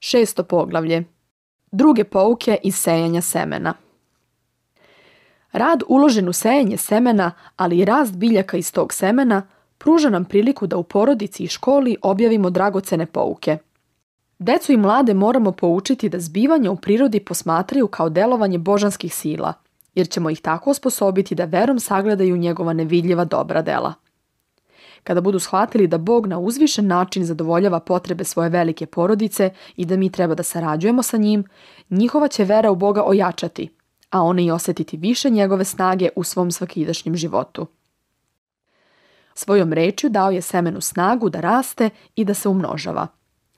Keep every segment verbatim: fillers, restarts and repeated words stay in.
Šesto poglavlje. Druge pouke iz sejanja semena. Rad uložen u sejanje semena, ali i rast biljaka iz tog semena, pruža nam priliku da u porodici i školi objavimo dragocene pouke. Decu i mlade moramo poučiti da zbivanja u prirodi posmatraju kao delovanje božanskih sila, jer ćemo ih tako osposobiti da verom sagledaju njegova nevidljiva dobra dela. Kada budu shvatili da Bog na uzvišen način zadovoljava potrebe svoje velike porodice i da mi treba da sarađujemo sa njim, njihova će vera u Boga ojačati, a one i osjetiti više njegove snage u svom svakidašnjem životu. Svojom rečju dao je semenu snagu da raste i da se umnožava.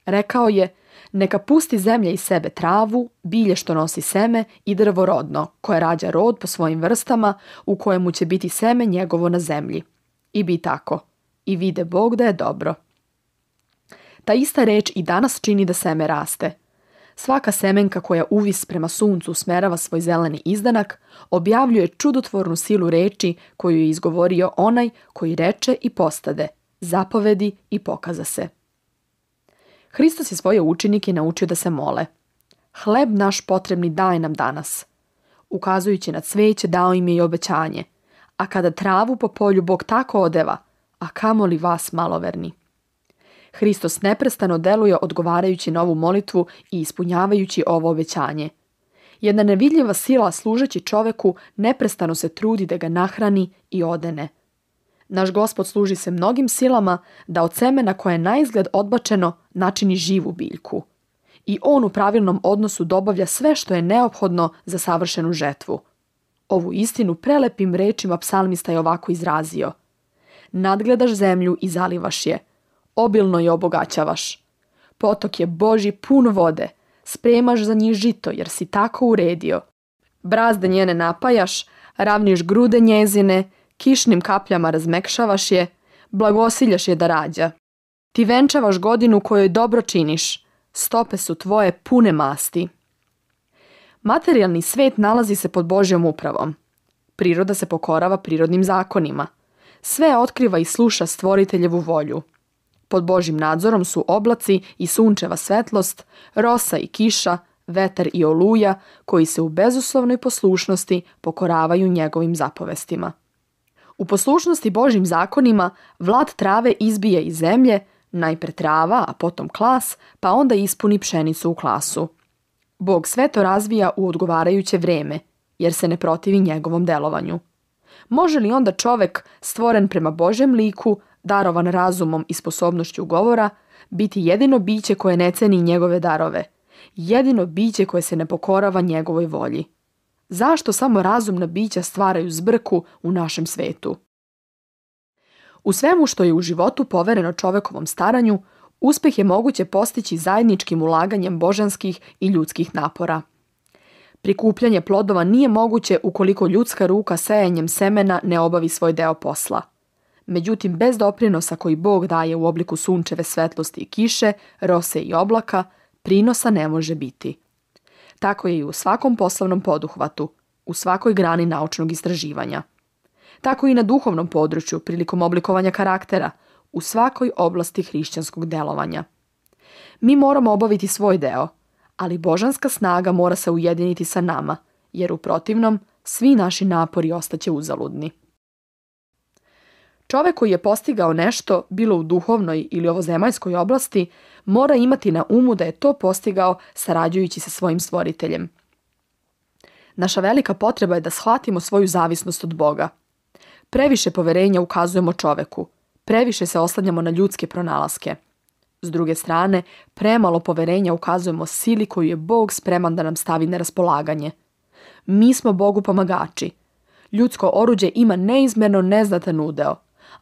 Rekao je, neka pusti zemlja iz sebe travu, bilje što nosi seme i drvo rodno, koje rađa rod po svojim vrstama, u kojemu će biti seme njegovo na zemlji. I bi tako. I vide Bog da je dobro. Ta ista reč i danas čini da seme raste. Svaka semenka koja uvis prema suncu usmerava svoj zeleni izdanak, objavljuje čudotvornu silu reči koju je izgovorio onaj koji reče i postade, zapovedi i pokaza se. Hristos je svoje učenike naučio da se mole. Hleb naš potrebni daj nam danas. Ukazujući na cveće dao im je i obećanje. A kada travu po polju Bog tako odeva, a kamoli vas maloverni. Hristos neprestano deluje odgovarajući na ovu molitvu i ispunjavajući ovo obećanje. Jedna nevidljiva sila služeći čoveku neprestano se trudi da ga nahrani i odene. Naš Gospod služi se mnogim silama da od semena koje je naizgled odbačeno načini živu biljku. I on u pravilnom odnosu dobavlja sve što je neophodno za savršenu žetvu. Ovu istinu prelepim rečima psalmista je ovako izrazio. Nadgledaš zemlju i zalivaš je. Obilno je obogaćavaš. Potok je Božji pun vode. Spremaš za njih žito jer si tako uredio. Brazde njene napajaš, ravniš grude njezine, kišnim kapljama razmekšavaš je, blagosiljaš je da rađa. Ti venčavaš godinu kojoj dobro činiš. Stope su tvoje pune masti. Materijalni svet nalazi se pod Božjom upravom. Priroda se pokorava prirodnim zakonima. Sve otkriva i sluša stvoriteljevu volju. Pod Božjim nadzorom su oblaci i sunčeva svetlost, rosa i kiša, vetar i oluja, koji se u bezuslovnoj poslušnosti pokoravaju njegovim zapovestima. U poslušnosti Božjim zakonima vlad trave izbije iz zemlje, najpre trava, a potom klas, pa onda ispuni pšenicu u klasu. Bog sve to razvija u odgovarajuće vreme, jer se ne protivi njegovom delovanju. Može li onda čovek, stvoren prema Božjem liku, darovan razumom i sposobnošću govora, biti jedino biće koje ne ceni njegove darove, jedino biće koje se ne pokorava njegovoj volji? Zašto samo razumna bića stvaraju zbrku u našem svetu? U svemu što je u životu povereno čovekovom staranju, uspeh je moguće postići zajedničkim ulaganjem božanskih i ljudskih napora. Prikupljanje plodova nije moguće ukoliko ljudska ruka sejanjem semena ne obavi svoj deo posla. Međutim, bez doprinosa koji Bog daje u obliku sunčeve svetlosti i kiše, rose i oblaka, prinosa ne može biti. Tako je i u svakom poslovnom poduhvatu, u svakoj grani naučnog istraživanja. Tako i na duhovnom području, prilikom oblikovanja karaktera, u svakoj oblasti hrišćanskog delovanja. Mi moramo obaviti svoj deo, ali božanska snaga mora se ujediniti sa nama, jer u protivnom svi naši napori ostaće uzaludni. Čovek koji je postigao nešto, bilo u duhovnoj ili ovozemaljskoj oblasti, mora imati na umu da je to postigao sarađujući sa svojim stvoriteljem. Naša velika potreba je da shvatimo svoju zavisnost od Boga. Previše poverenja ukazujemo čoveku, previše se oslanjamo na ljudske pronalaske. S druge strane, premalo poverenja ukazujemo sili koju je Bog spreman da nam stavi na raspolaganje. Mi smo Bogu pomagači. Ljudsko oruđe ima neizmjerno neznatan udeo,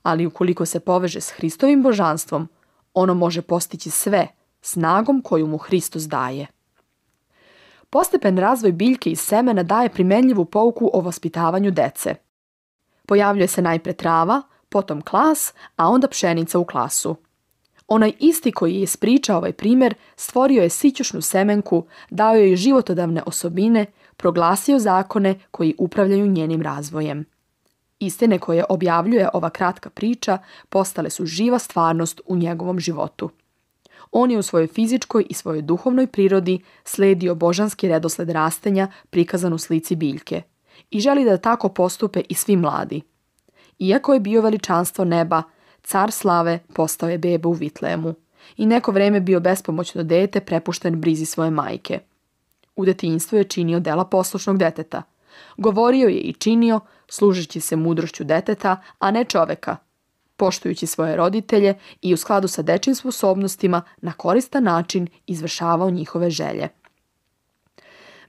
ali ukoliko se poveže s Hristovim božanstvom, ono može postići sve snagom koju mu Hristos daje. Postepen razvoj biljke iz semena daje primenljivu pouku o vaspitavanju dece. Pojavljuje se najpre trava, potom klas, a onda pšenica u klasu. Onaj isti koji je ispričao ovaj primjer stvorio je sićušnu semenku, dao joj životodavne osobine, proglasio zakone koji upravljaju njenim razvojem. Istine koje objavljuje ova kratka priča postale su živa stvarnost u njegovom životu. On je u svojoj fizičkoj i svojoj duhovnoj prirodi slijedio božanski redosled rastenja prikazan u slici biljke i želi da tako postupe i svi mladi. Iako je bio veličanstvo neba, car slave postao je beba u Vitlejemu i neko vreme bio bespomoćno dete prepušten brizi svoje majke. U detinjstvu je činio dela poslušnog deteta. Govorio je i činio, služeći se mudrošću deteta, a ne čoveka, poštujući svoje roditelje i u skladu sa dečjim sposobnostima na koristan način izvršavao njihove želje.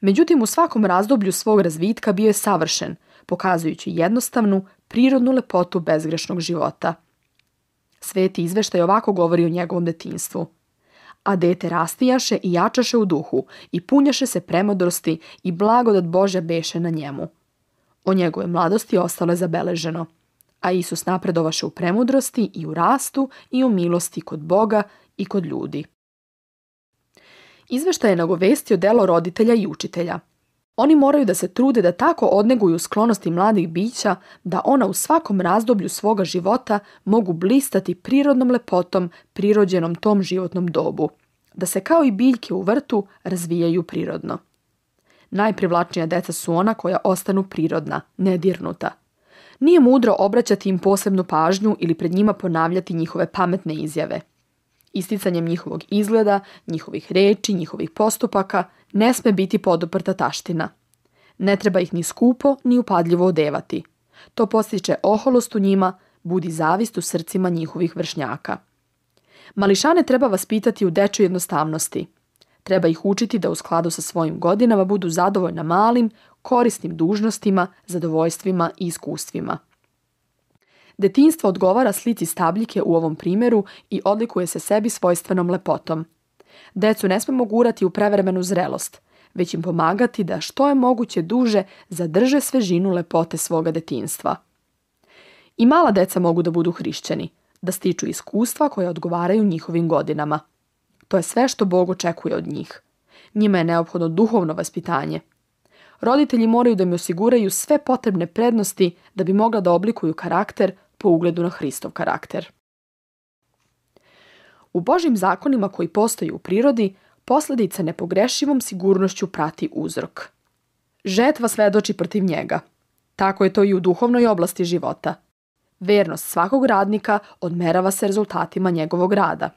Međutim, u svakom razdoblju svog razvitka bio je savršen, pokazujući jednostavnu, prirodnu lepotu bezgrešnog života. Sveti izveštaj ovako govori o njegovom detinjstvu. A dete rastijaše i jačaše u duhu i punjaše se premudrosti i blagodat Božja beše na njemu. O njegove mladosti ostalo je zabeleženo. A Isus napredovaše u premudrosti i u rastu i u milosti kod Boga i kod ljudi. Izveštaj je nagovestio delo roditelja i učitelja. Oni moraju da se trude da tako odneguju sklonosti mladih bića da ona u svakom razdoblju svoga života mogu blistati prirodnom lepotom prirođenom tom životnom dobu, da se kao i biljke u vrtu razvijaju prirodno. Najprivlačnija deca su ona koja ostanu prirodna, nedirnuta. Nije mudro obraćati im posebnu pažnju ili pred njima ponavljati njihove pametne izjave. Isticanjem njihovog izgleda, njihovih reči, njihovih postupaka ne sme biti poduprta taština. Ne treba ih ni skupo, ni upadljivo odevati. To postiče oholost u njima, budi zavist u srcima njihovih vršnjaka. Mališane treba vaspitati u dečjoj jednostavnosti. Treba ih učiti da u skladu sa svojim godinama budu zadovoljna malim, korisnim dužnostima, zadovoljstvima i iskustvima. Detinjstvo odgovara slici stabljike u ovom primjeru i odlikuje se sebi svojstvenom lepotom. Decu ne smemo gurati u prevremenu zrelost, već im pomagati da što je moguće duže zadrže svežinu lepote svoga detinjstva. I mala deca mogu da budu hrišćani, da stiču iskustva koje odgovaraju njihovim godinama. To je sve što Bog očekuje od njih. Njima je neophodno duhovno vaspitanje. Roditelji moraju da im osiguraju sve potrebne prednosti da bi mogla da oblikuju karakter po ugledu na Hristov karakter. U Božjim zakonima koji postoji u prirodi, posljedica nepogrešivom sigurnošću prati uzrok. Žetva svedoči protiv njega. Tako je to i u duhovnoj oblasti života. Vernost svakog radnika odmerava se rezultatima njegovog rada.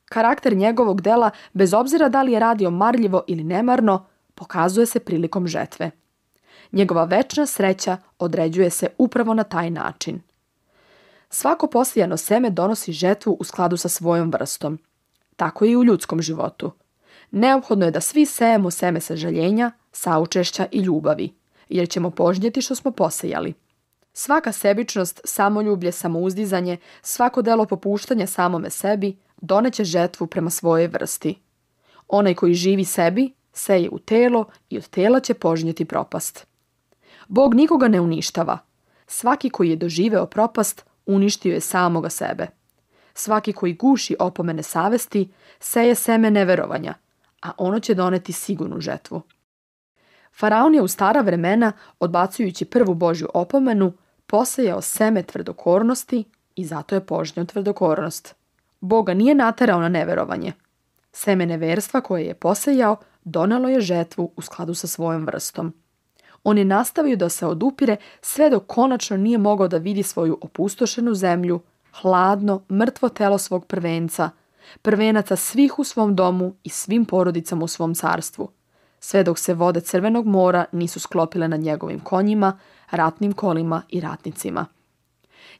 Karakter njegovog dela, bez obzira da li je radio marljivo ili nemarno, pokazuje se prilikom žetve. Njegova večna sreća određuje se upravo na taj način. Svako posijano seme donosi žetvu u skladu sa svojom vrstom. Tako je i u ljudskom životu. Neophodno je da svi sejemo seme sažaljenja, saučešća i ljubavi, jer ćemo požnjeti što smo posejali. Svaka sebičnost, samoljublje, samouzdizanje, svako delo popuštanja samome sebi doneće žetvu prema svojoj vrsti. Onaj koji živi sebi, seje u telo i od tela će požnjeti propast. Bog nikoga ne uništava. Svaki koji je doživeo propast, uništio je samoga sebe. Svaki koji guši opomene savesti, seje seme neverovanja, a ono će doneti sigurnu žetvu. Faraon je u stara vremena, odbacujući prvu Božju opomenu, posejao seme tvrdokornosti i zato je požnjao tvrdokornost. Boga nije naterao na neverovanje. Seme neverstva koje je posejao donelo je žetvu u skladu sa svojom vrstom. On je nastavio da se odupire sve dok konačno nije mogao da vidi svoju opustošenu zemlju, hladno, mrtvo telo svog prvenca, prvenaca svih u svom domu i svim porodicama u svom carstvu, sve dok se vode Crvenog mora nisu sklopile nad njegovim konjima, ratnim kolima i ratnicima.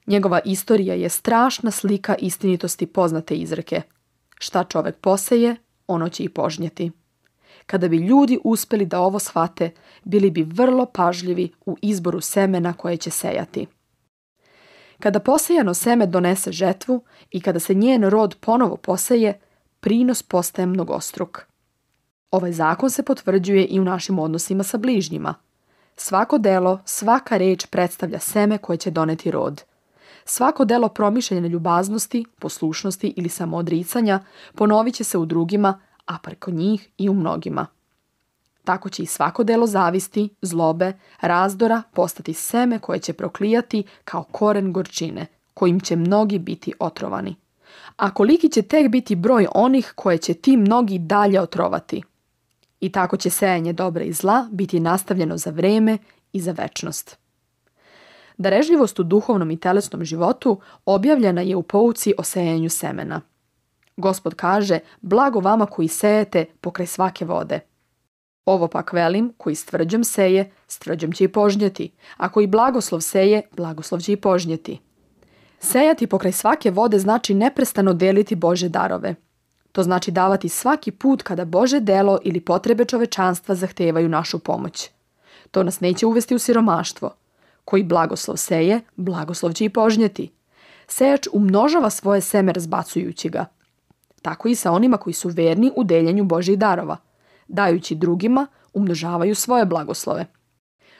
Njegova istorija je strašna slika istinitosti poznate izreke. Šta čovek poseje, ono će i požnjeti. Kada bi ljudi uspjeli da ovo shvate, bili bi vrlo pažljivi u izboru semena koje će sejati. Kada posejano seme donese žetvu i kada se njen rod ponovo poseje, prinos postaje mnogostruk. Ovaj zakon se potvrđuje i u našim odnosima sa bližnjima. Svako delo, svaka reč predstavlja seme koje će doneti rod. Svako delo promišljene ljubaznosti, poslušnosti ili samoodricanja ponovit će se u drugima, a preko njih i u mnogima. Tako će i svako delo zavisti, zlobe, razdora postati seme koje će proklijati kao koren gorčine, kojim će mnogi biti otrovani. A koliki će tek biti broj onih koje će ti mnogi dalje otrovati. I tako će sejanje dobra i zla biti nastavljeno za vreme i za večnost. Darežljivost u duhovnom i telesnom životu objavljena je u pouci o sejanju semena. Gospod kaže, blago vama koji sejete pokraj svake vode. Ovo pak velim, koji s tvrđom seje, s tvrđom će i požnjeti, a koji blagoslov seje, blagoslov će i požnjeti. Sejati pokraj svake vode znači neprestano deliti Božje darove. To znači davati svaki put kada Božje delo ili potrebe čovečanstva zahtevaju našu pomoć. To nas neće uvesti u siromaštvo. Koji blagoslov seje, blagoslov će i požnjeti. Sejač umnožava svoje seme razbacujući ga. Tako i sa onima koji su verni u deljenju Božjih darova. Dajući drugima, umnožavaju svoje blagoslove.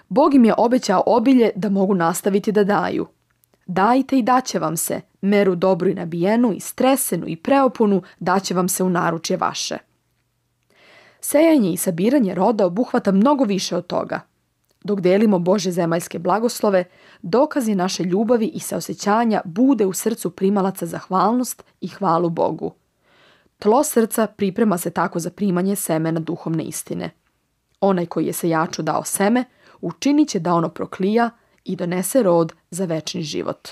Bog im je obećao obilje da mogu nastaviti da daju. Dajte i daće vam se, meru dobru i nabijenu, i stresenu i preopunu daće vam se u naručje vaše. Sejanje i sabiranje roda obuhvata mnogo više od toga. Dok delimo Božje zemaljske blagoslove, dokazi naše ljubavi i saosećanja bude u srcu primalaca zahvalnost i hvalu Bogu. Tlo srca priprema se tako za primanje semena duhovne istine. Onaj koji je sejaču dao seme, učinit će da ono proklija i donese rod za večni život.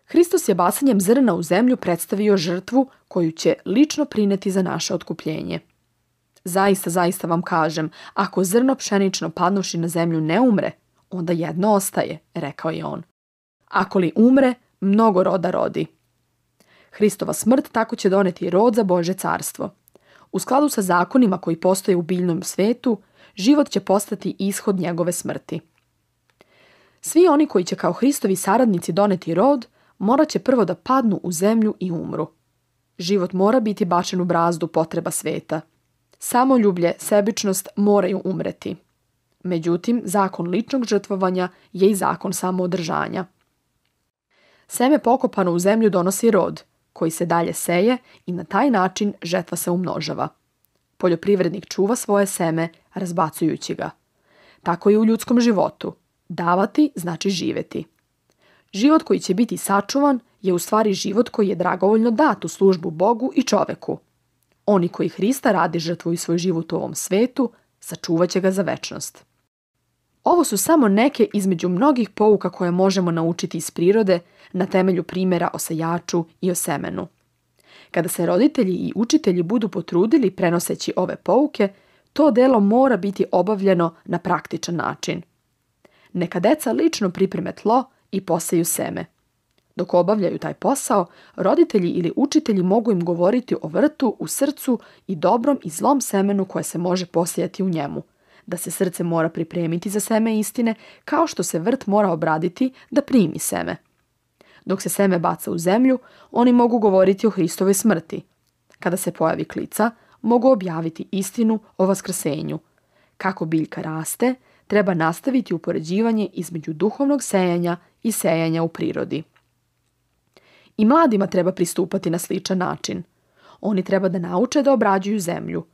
Hristos je bacanjem zrna u zemlju predstavio žrtvu koju će lično prineti za naše otkupljenje. Zaista, zaista vam kažem, ako zrno pšenično padnuši na zemlju ne umre, onda jedno ostaje, rekao je on. Ako li umre, mnogo roda rodi. Hristova smrt tako će doneti rod za Božje carstvo. U skladu sa zakonima koji postoje u biljnom svetu, život će postati ishod njegove smrti. Svi oni koji će kao Hristovi saradnici doneti rod, morat će prvo da padnu u zemlju i umru. Život mora biti bačen u brazdu potreba sveta. Samoljublje, sebičnost moraju umreti. Međutim, zakon ličnog žrtvovanja je i zakon samoodržanja. Seme pokopano u zemlju donosi rod, koji se dalje seje i na taj način žetva se umnožava. Poljoprivrednik čuva svoje seme, razbacujući ga. Tako i u ljudskom životu. Davati znači živjeti. Život koji će biti sačuvan je u stvari život koji je dragovoljno dat u službu Bogu i čoveku. Oni koji Hrista radi žrtvuju svoj život u ovom svetu, sačuvat će ga za večnost. Ovo su samo neke između mnogih pouka koje možemo naučiti iz prirode na temelju primjera o sejaču i o semenu. Kada se roditelji i učitelji budu potrudili prenoseći ove pouke, to delo mora biti obavljeno na praktičan način. Neka deca lično pripreme tlo i poseju seme. Dok obavljaju taj posao, roditelji ili učitelji mogu im govoriti o vrtu u srcu i dobrom i zlom semenu koje se može posijati u njemu, da se srce mora pripremiti za seme istine, kao što se vrt mora obraditi da primi seme. Dok se seme baca u zemlju, oni mogu govoriti o Hristovoj smrti. Kada se pojavi klica, mogu objaviti istinu o vaskrsenju. Kako biljka raste, treba nastaviti upoređivanje između duhovnog sejanja i sejanja u prirodi. I mladima treba pristupati na sličan način. Oni treba da nauče da obrađuju zemlju.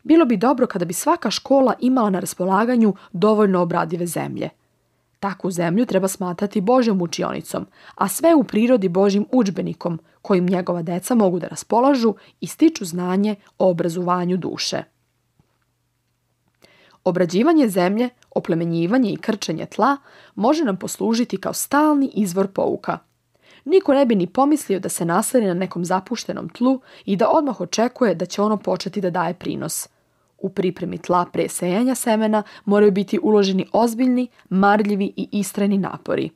Bilo bi dobro kada bi svaka škola imala na raspolaganju dovoljno obradive zemlje. Takvu zemlju treba smatrati Božjom učionicom, a sve u prirodi Božjim udžbenikom kojim njegova deca mogu da raspolažu i stiču znanje o obrazovanju duše. Obrađivanje zemlje, oplemenjivanje i krčenje tla može nam poslužiti kao stalni izvor pouka. Niko ne bi ni pomislio da se naseli na nekom zapuštenom tlu i da odmah očekuje da će ono početi da daje prinos. U pripremi tla pre sejanja semena moraju biti uloženi ozbiljni, marljivi i istrajni napori.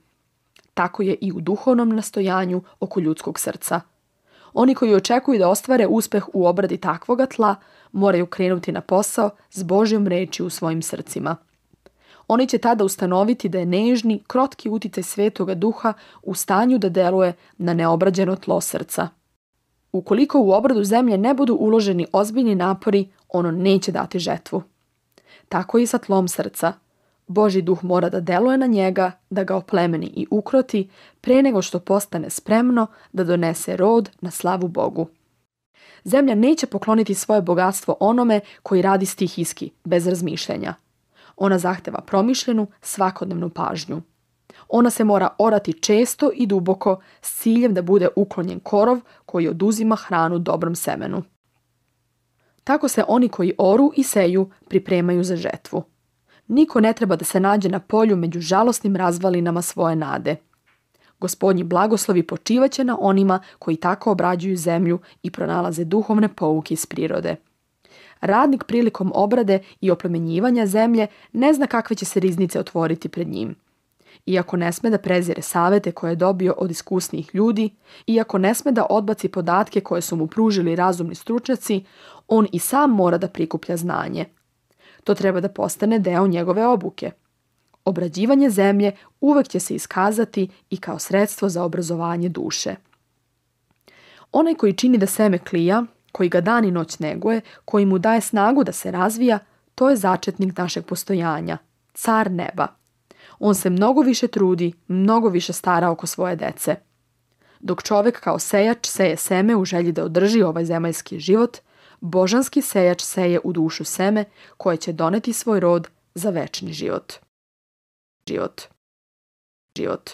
Tako je i u duhovnom nastojanju oko ljudskog srca. Oni koji očekuju da ostvare uspeh u obradi takvoga tla moraju krenuti na posao s Božjom reči u svojim srcima. Oni će tada ustanoviti da je nežni, krotki uticaj Svetoga Duha u stanju da deluje na neobrađeno tlo srca. Ukoliko u obradu zemlje ne budu uloženi ozbiljni napori, ono neće dati žetvu. Tako i sa tlom srca. Božji duh mora da deluje na njega, da ga oplemeni i ukroti, pre nego što postane spremno da donese rod na slavu Bogu. Zemlja neće pokloniti svoje bogatstvo onome koji radi stihijski, bez razmišljenja. Ona zahteva promišljenu, svakodnevnu pažnju. Ona se mora orati često i duboko s ciljem da bude uklonjen korov koji oduzima hranu dobrom semenu. Tako se oni koji oru i seju pripremaju za žetvu. Niko ne treba da se nađe na polju među žalosnim razvalinama svoje nade. Gospodnji blagoslovi počivaće na onima koji tako obrađuju zemlju i pronalaze duhovne pouke iz prirode. Radnik prilikom obrade i oplemenjivanja zemlje ne zna kakve će se riznice otvoriti pred njim. Iako ne sme da prezire savete koje je dobio od iskusnijih ljudi, iako ne sme da odbaci podatke koje su mu pružili razumni stručnjaci, on i sam mora da prikuplja znanje. To treba da postane deo njegove obuke. Obrađivanje zemlje uvek će se iskazati i kao sredstvo za obrazovanje duše. Onaj koji čini da seme klija, koji ga dan i noć neguje, koji mu daje snagu da se razvija, to je začetnik našeg postojanja, car neba. On se mnogo više trudi, mnogo više stara oko svoje dece. Dok čovjek kao sejač seje seme u želji da održi ovaj zemaljski život, božanski sejač seje u dušu seme koje će doneti svoj rod za večni život. Život. Život.